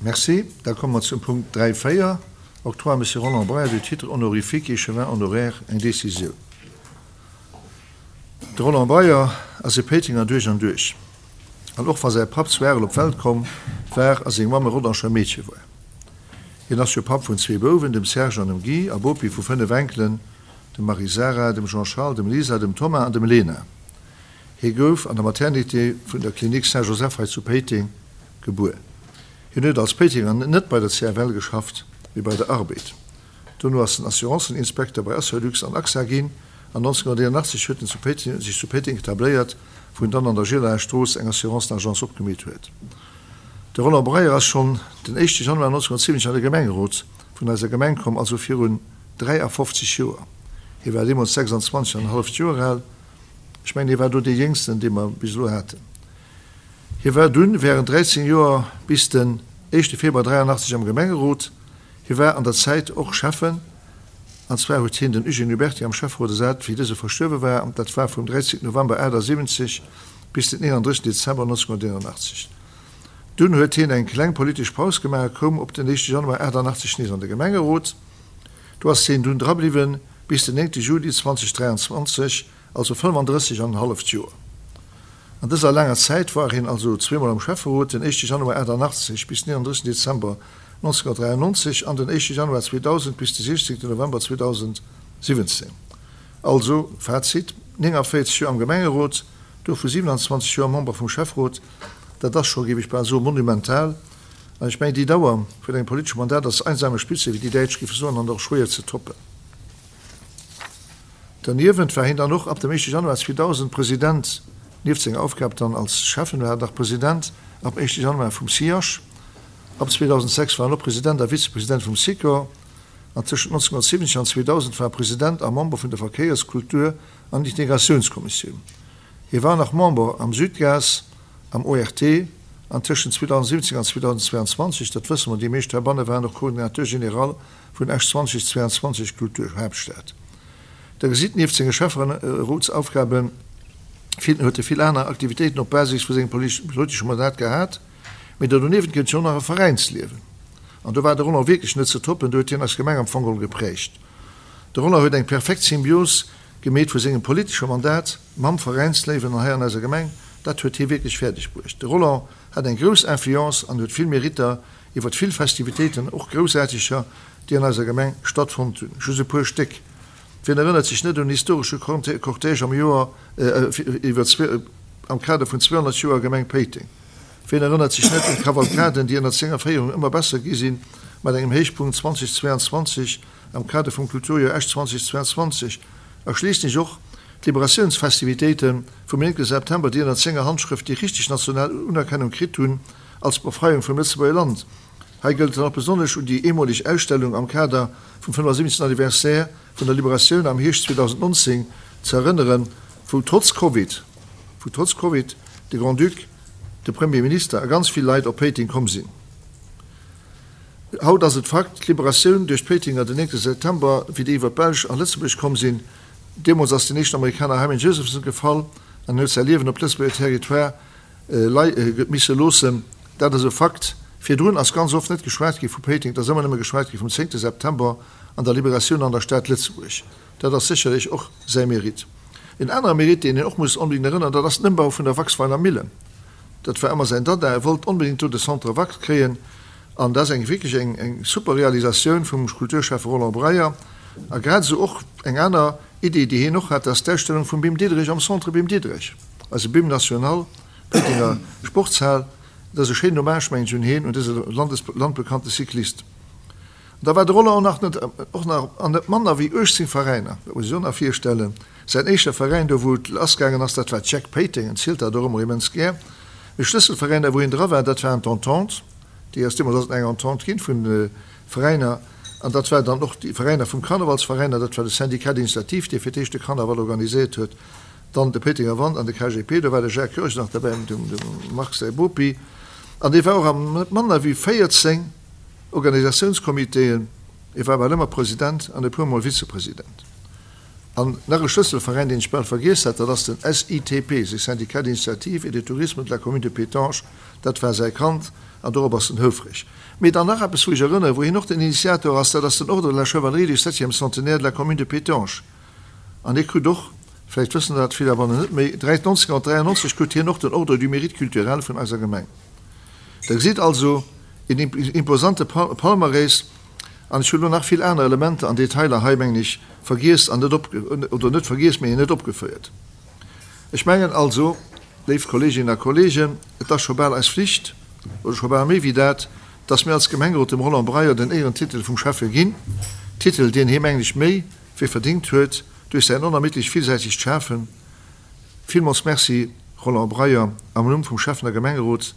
Merci. Da komme mer zum Punkt 3, 4, Octroi à Monsieur Roland Breyer du titre honorifique échevin honoraire, eng Décisioun. De Roland Breyer ass e Péitenger duerch an duerch. An och wa säi Papp zu Arel op d'Welt komm war a seng Mamm e Rodanger Meedche war. Hien ass jo Papp vun zwee Bouwen, dem Serge an dem Guy, a Bopi vu 5 Enkelen, dem Marie-Sarah, dem Jean-Charles, dem Lisa, dem Thomas an dem Lena. Hie gouf an der Maternité vun der Clinique Saint-Joseph hei zu Péiteng gebuer. Hien huet als Péitenger net bei der CFL geschafft, mee bei der Arbed. Dono ass en Assurancen-Inspekter bei Assurlux an AXA ginn an 1981 huet en zu Péiteng sech zu Péiteng etabléiert, wou en dann an der Gielaer Strooss eng Assurancen-Agence opgemeet huet. De Roland Breyer ass schonn den éischte Januar 1970 an de Gemengerot vun eiser Gemeng komm, also virun 53 Joer. Hie war deemools 26 an e halleft Joer al. Ech mengen, hie war do dee Jéngsten, dee mer bis elo haten. Hie war dunn wärend 13 Joer bis den éischte Februar 83 am Gemengerot. Hie war an der Zäit och Schäffen, an zwar huet hien den Eugène Huberty am Schäfferot ersat, wéi dëse verstuerwe war, an dat war vum 13 November 78 bis den 31 Dezember 1981. Dunn huet hien eng kleng politesch Paus gemaach a koum op den éischte Januar 88 nees an de Gemengerot. Do ass hien dunn drabliwwen bis den 9 Juli 2023, also 35 an en halleft Joer. An dëser laanger Zäit war hien also zweemol am Schäfferot, den éischte Januar 88 bis den 31 Dezember 1993 an den éischte Januar 2000 bis de 16 November 2017. Also, Fazit, 49 Joer am Gemengerot, dovu 27 Joer Member vum Schäfferot, dat ass scho, géif ech bal soen, monumental. An ech mengen, déi Dauer vun engem politesche Mandat ass einsame Spitze, wéi déi Däitsch géife soen, an och schwéier ze toppen. Derniewent war hien dann och ab dem éischte Januar 2000 President, nieft senger Aufgab dann als Schäffen, war en nach President ab éischte Januar vum SIAJ. Ab 2006 war en och President a Vizepresident vum Sikor an tëschent 1970 an 2000 war e President a Member vun der Verkéiers-, Kultur an Integratiounskommissioun. Hie war nach Member am Sudgaz, am ORT an tëschent 2017 an 2022, dat wësse mer déi meescht heibanne, war en och Coordinateur général vun Esch 2022, Kulturhaaptstad. Der gesitt, nieft senge Schäfferotsaufgabe huet e vill aner Aktivitéiten op Basis vu sengem politesche Mandat gehat. Mee do doniewent gëtt et jo och nach e Veräinsliewen. An do war de Roland wierklech net ze toppen, do huet hien eis Gemeng am Fong geholl geprägt. De Roland huet eng perfekt Symbios gemeet vu sengem politesche Mandat mam Veräinsléiwen an hei an eiser Gemeng. Dat huet hie wierklech fäerdeg bruecht. De Roland hat eng grouss Influence an huet vill Meritter iwwert vill Festivitéiten, och groussaarteger, déi an eiser Gemeng stattfonnt hunn. Just e puer Stéck, Wien erënnert sech net un historesche Cortège am Joer iwwer am Kader vun 200 Joer Gemeng Péiteng? Wien erënnert sech net un d'Kavalkaden, déi ënnert senger Féierung ëmmer besser gi sinn, mat engem Héichpunkt 2022 am Kader vum Kulturjoer Esch 2022? A schliisslech och d'Liberatiounsfestivitéite vum 9 September, déi ënnert senger Handschrëft déi richteg national Unerkennung kritt hunn als Befreiung vum Lëtzebuerger Land. Hei gëllt et dann och besonnesch un déi eemoleg Ausstellung am Kader vum 75. Anniversaire vun der Liberatioun am Hierscht 2019 ze erënneren, wou trotz Covid, wou trotz Covid de Grand-Duc, de Premier Minister a ganz vill Leit op Péiteng komm sinn. Haut ass et Fakt, d'Liberatioun duerch d'Péitenger den 9. September, wéi déi iwwer d'Belsch an Lëtzebuerg komm sinn, deemools ass den éischten Amerikaner Hyman Josephson gefall an huet säi Liewen op Lëtzebuerger Territoire misse loossen. Dat ass e Fakt. Virdrun ass ganz oft net geschwat gi vu Péiteng, et ass ëmmer nëmme geschwat gi vum zéngte September an der Liberatioun an der Stad Lëtzebuerg. Dat ass sécherlech och säi Mérite. En anere Mérite, deen een och muss onbedéngt erënneren, dat ass den Ëmbau vun der Waxweiler Millen. Dat war ëmmer säin Dada. E wollt onbedéngt do de Centre Wax kréien. An dat ass eng wierklech eng, eng super Realisatioun vum Kulturschäffe Roland Breyer. A grad esou och eng aner Idee, déi hien och hat, dat ass d'Ausstellung vum Bim Diederich am Centre Bim Diederich, eise Bim National, Péitenger Sportshal. Dat ass e schéinen Hommage, mengen ech, un hien, un dëse landes, landbekannte Cyclist. An da war de Roland och nach net, och nach an net manner wéi 18 Veräiner, dat muss ech och nach virstellen. Säin éischter Veräin, do wou et lassgaangen ass, dat war d'Jeck Péiteng, en zielt dat och ëmmer immens gär. Mee Schlësselveräiner, wou hien dra war, dat waren d'Entente, déi ass deemools ass et eng Entente ginn vun Veräiner, an dat war dann och déi Veräiner vum Karnevalsveräiner, dat war de Syndicat d'initiative, dee fir d'éischt de Karneval organiséiert huet, dann de Péitenger Wand an de KGP, do war de Jacques Goergen nach derbäi, dem Marc säi Bopi, an dee war och an net manner wéi 14 Organisatiounscomitéen, e war bal ëmmer President an e puer mol Vizepresident. An nach e Schlësselveräin, deen ech bal vergiess hat, dat ass den SITP, Syndicat d'initiative et de tourisme de la commune de Pétange, dat war säi Kand. An dorop ass en houfreg. Mee dann nach eppes, wou ech erënnere, wou hien och den Initiator ass, dat ass den Ordre de la Chevalerie du septième centenaire de la commune de Pétange. An hie krut och, vläicht wëssen dat vill heibannen net méi, 1993 krut hien och den Ordre du Mérite culturel vun eiser Gemeng. Der gesitt also, een imposante Palmarès. An ech hunn elo nach vill aner Elementer an Detailer hei, mengen ech, vergiess an net op, oder net vergiess, mee net opgefëiert. Ech mengen also, léif Kolleeginnen a Kolleegen, et ass scho bal eis Flicht, oder scho bal méi wéi dat, dass mir als Gemengerot dem Roland Breyer den Éierentitel vum Schäffe ginn, Titel, deen hie, mengen ech, méi wéi verdéngt huet duerch säin onermiddlecht villsäitegt Schafen. Villmools Merci, Roland Breyer, am Numm vum Schäffen a Gemengerot,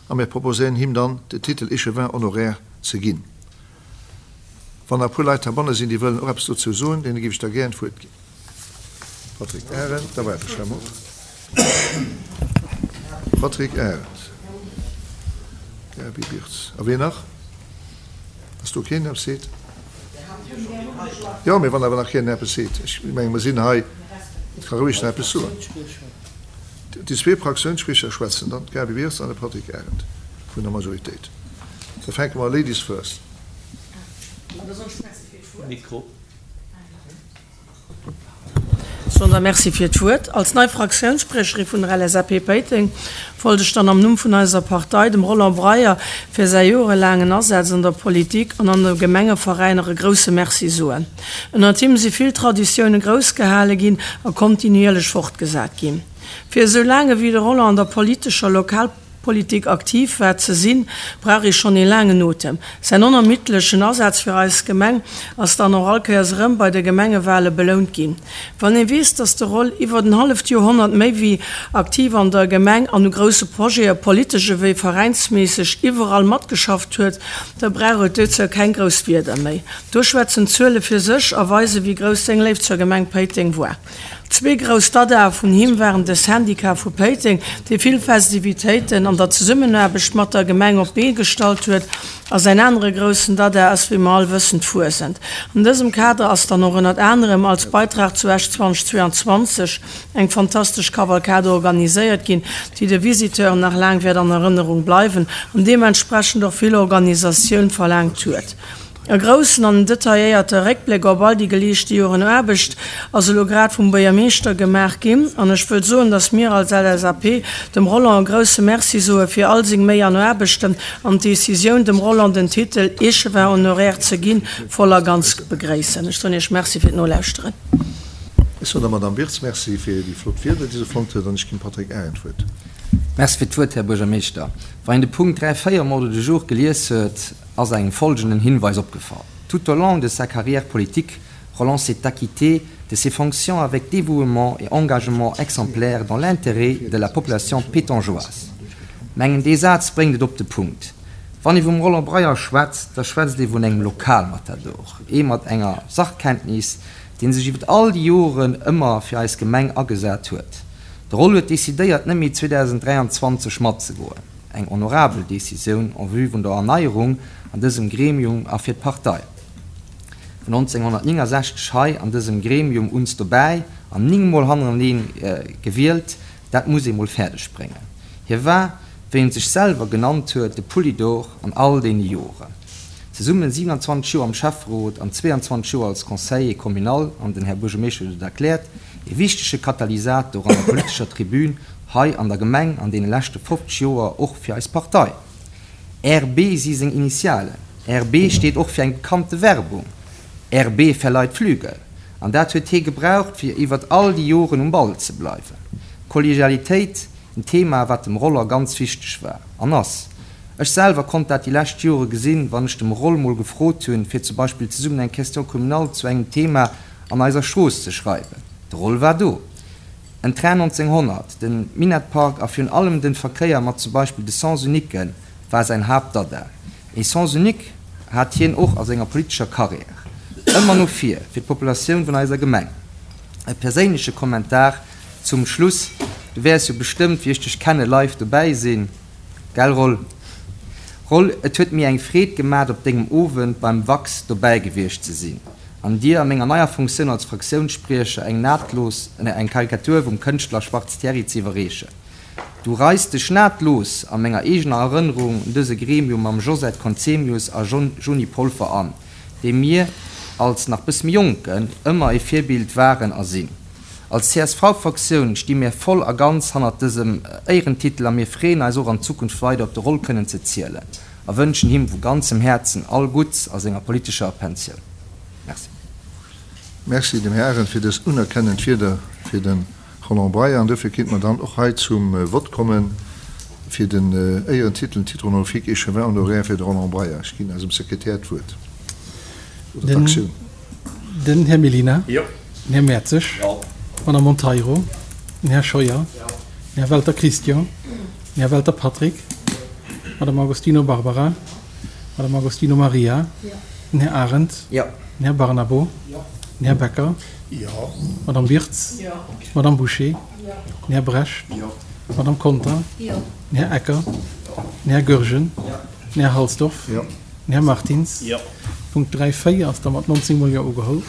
a mir proposéieren him dann, den Titel Échevin honoraire ze ginn. Wann nach e puer Leit heibanne sinn, déi wëllen och eppes dozou soen, deene géif ech da gären d'Wuert ginn. Patrick Arendt, da waarde ech emol. Patrick Arendt, Gaby Birtz, a wien nach? Ass do keen, deen eppes seet? Jo, mee wann awer nach keen eppes seet, ech menge mer sinn hei, et ka roueg nach eppes soen. Déi zwee Fraktiounsspriecher schwätzen dann, d'Gaby Wirtz an de Patrick Arendt vun der Majoritéit. Da fänke mer Ladies first. Mikro. Soen da Merci fir d'Wuert. Als nei Fraktiounsspriecherin vun der LSAP Péiteng wollt ech dann am Numm vun eiser Partei dem Roland Breyer fir säi jorelaangen Asaz an der Politik an an de Gemengeveräiner e grousse Merci soen. Ënnert him si vill Traditioune grouss gehale ginn a kontinuierlech fortgesat ginn. Fir esou laang ewéi de Roland an der politescher Lokalpolitik aktiv war ze sinn, brauch ee schonn ee laangen Otem. Säin onermiddlechen Asaz fir eis Gemeng ass dann och all Kéiers erëm bei de Gemengewale belount ginn. Wann ee weess, dass de Roll iwwert en halleft Joerhonnert méi wéi aktiv an der Gemeng an u grousse Projete politesch ewéi veräinsméisseg iwwerall matgeschafft huet, da brauch et dozou keng grouss Wierder méi. Do schwätzen d'Zuele fir sech a weisen, wéi grouss seng Léift zur Gemeng Péiteng war. Zwee grouss Dadae vun him waren de Syndicat vu Péiteng, dee vill Festivitéiten an der Zesummenaarbecht mat der Gemeng op d'Bee gestallt huet, a säin anere groussen Dada ass, wéi mer all wëssen, d'Fuesent. An dësem Kader ass dann och ënnert anerem als Beitrag zu Esch 2022 eng fantastesch Kavalkade organiséiert ginn, déi de Visiteuren nach laang wäert an Erënnerung bleiwen an deementsprechend och vill Organisatioun verlaangt huet. E groussen an detailléierte Réckbléck op all déi geleeschte Joren Aarbecht ass elo grad vum Buergermeeschter gemaach ginn an ech wëll soen, dass mir als LSAP dem Roland e grousse Merci soe fir all seng Méi an Aarbechten an d'Decisioun, dem Roland den Titel Échevin honoraire ze ginn, voll a ganz begréissen. Ech soen Iech Merci fir d'Nolauschteren. Ech soen der Madamm Wirtz Merci fir déi flott Wierder, déi se fonnt huet an ech ginn dem Patrick Arendt d'Wuert. Merci fir d'Wuert, Här Buergermeeschter. Wann een de Punkt 3, 4 am Ordre du jour gelies huet, ass engem folgenden Hinweis opgefall: Tout au long de sa carrière politique, Roland s'est acquitté de ses fonctions avec dévouement et engagement exemplaire dans l'intérêt de la population pétangeoise. Mengen dee Saz bréngt et op de Punkt. Wann ee vum Roland Breyer schwätzt, da schwätzt ee vun engem Lokalmatador, ee mat enger Sachkenntnis, dee sech iwwer all déi Joren ëmmer fir eis Gemeng agesat huet. De Roll huet decidéiert net méi 2023 matzegoen. Eng honorabel Decisioun en vue vun der Erneierung an dësem Gremium a fir d'Partei. Vun 1969 hei an dësem Gremium uns dobäi an 9 mol hannereneen gewielt, dat muss ee mol fäerdeg bréngen. Hie war, wéi en sech selwer genannt huet, de Poulidor an all deene Joren. Zesummen 27 Joer am Schäfferot an 22 Joer als Conseiller communal, an den Här Buergermeeschter huet et erkläert, ee wichtege Katalysator an der politescher Tribün hei an der Gemeng an deene leschte 50 Joer och fir eis Partei. RB si seng Initialen. RB steet och fir eng bekannte Werbung, RB verleiht Flügel. An dat huet hee gebraucht, fir iwwert all déi Joren um Ball ze bleiwen. Kollegialitéit, en Thema, wat dem Roller ganz wichteg war an ass. Ech selwer konnt dat déi lescht Jore gesinn, wann ech dem Roll mol gefrot hunn, fir zum Beispill zesummen eng Question communale zu engem Thema an eiser Strooss ze schreiwen. De Roll war do. En Train 1900, den Minettpark a virun allem den Verkéier mat zum Beispill de Sens uniquen war säin Haaptdada. Ee Sens unique hat hien och a senger politescher Carrière. Ëmmer no vir, fir d'Populatioun vun eiser Gemeng. E perséinleche Kommentar zum Schluss, Du wäers jo bestëmmt, wéi ech dech kenne, live dobäi sinn, gell Roll? Roll, et huet mir eng Freed gemat op dengem Owend beim Wax dobäi gewiescht ze sinn. An dir a menger neier Funktioun als Fraktiounsspriecher eng nahtlos, eng Karikatur vum Kënschtler Schwarz Thierry ze iwwerreechen. Du reis dech nahtlos a menger eegener Erënnerung un dëse Gremium mam Josette Conzemius a Joni Polfer an, déi mir als nach bësse méi Jonken ëmmer e Virbild waren a sinn. Als CSV-Fraktioun sti mir voll a ganz hannert dësem Éierentitel a mir freeën eis och an Zukunft weider op de Roll kënnen ze zielen a wënschen him vu ganzem Häerzen all Gutts a senger politescher Pensioun. Merci. Merci dem Här Arendt fir dës unerkennend Wierder fir de Roland Breyer. An dofir kéinte mer dann och hei zum Vott komme fir den Éierentitel, Titre honorifique Échevin honoraire fir de Roland Breyer. Ech ginn eisem Sekretär d'Wuert, oder d'Aktioun. Den Här Mellina. Jo. Den Här Mertzig. Jo. D'Madame Monteiro. Den Här Scheuer. Jo. Den Här Welter Christian. Den Här Welter Patrick. D'Madame Agostino Barbara. D'Madame Agostino Maria. Jo. Den Här Arendt. Jo. Den Här Barnabo. Jo. Den Här Becker. Jo. D'Madame Wirtz. Jo. D'Madame Bouché. Jo. Den Här Brecht. Jo. D'Madame Conter. Jo. Den Här Ecker. Jo. Den Här Goergen. Jo. Den Här Halsdorf. Jo. Den Här Martins. Jo. Punkt 3, 4 ass da mat 19 mol Jo ugeholl.